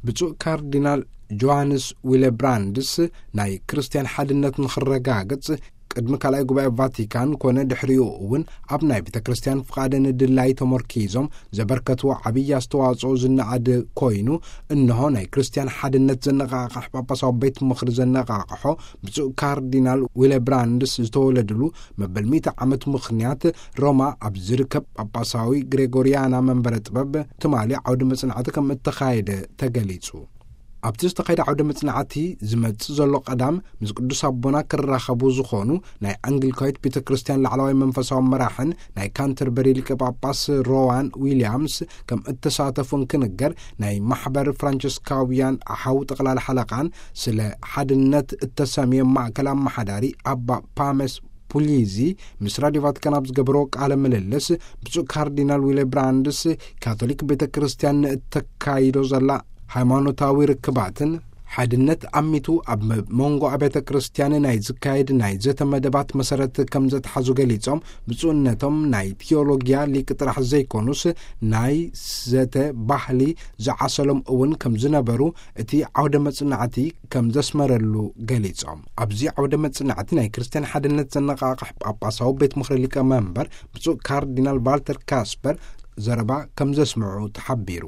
ብፁዕ ካርዲናል ጆሃንስ ዊለብራንድስ ናይ ክርስትያን ሓድነት ንኽረጋግጽ ቅድሚ ካልኣይ ጉባኤ ቫቲካን ኮነ ድሕሪኡ እውን ኣብ ናይ ቤተ ክርስትያን ፍቓድን ድላይ ተመርኪዞም ዘበርከትዎ ዓብዪ ኣስተዋጽኦ ዝነኣድ ኮይኑ፣ እንሆ ናይ ክርስትያን ሓድነት ዘነቓቕሕ ጳጳሳዊ ቤት ምኽሪ ዘነቓቕሖ ብፁዕ ካርዲናል ዊለብራንድስ ዝተወለድሉ መበል ሚእቲ ዓመት ምኽንያት ሮማ ኣብ ዝርከብ ጳጳሳዊ ግሬጎሪያና መንበረ ጥበብ ትማሊ ዓውደ መጽናዕቲ ከም እተኻየደ ተገሊጹ። ኣብቲ ዝተኻየደ ዓውደ መጽናዕቲ ዝመጽእ ዘሎ ቀዳም ምስ ቅዱስ ኣቦና ክራኸቡ ዝኾኑ ናይ ኣንግሊካዊት ቤተ ክርስትያን ላዕለዋይ መንፈሳዊ መራሕን ናይ ካንተርበሪ ሊቀ ጳጳስ ሮዋን ዊልያምስ ከም እተሳተፉ እንክንገር፣ ናይ ማሕበር ፍራንቸስካውያን ኣሓው ጠቕላሊ ሓለቓን ስለ ሓድነት እተሰምየ ማእከል ኣመሓዳሪ ኣባ ፓመስ ፑሊዚ ምስ ራዲዮ ቫቲካን ኣብ ዝገበሮ ቃለ ምልልስ፣ ብፁዕ ካርዲናል ዊለ ብራንድስ ካቶሊክ ቤተ ክርስትያን ንእተካይዶ ዘላ ሃይማኖታዊ ርክባትን ሓድነት ኣሚቱ ኣብ መንጎ ኣብያተ ክርስትያን ናይ ዝካየድ ናይ ዘተ መደባት መሰረት ከም ዘትሓዙ ገሊጾም፣ ብፁዕነቶም ናይ ቲዮሎጊያ ሊቅ ጥራሕ ዘይኮኑስ ናይ ዘተ ባህሊ ዝዓሰሎም እውን ከም ዝነበሩ እቲ ዓውደ መጽናዕቲ ከም ዘስመረሉ ገሊጾም። ኣብዚ ዓውደ መጽናዕቲ ናይ ክርስትያን ሓድነት ዘነቓቕሕ ጳጳሳዊ ቤት ምኽሪ ሊቀ መንበር ብፁዕ ካርዲናል ቫልተር ካስፐር ዘረባ ከም ዘስምዑ ተሓቢሩ።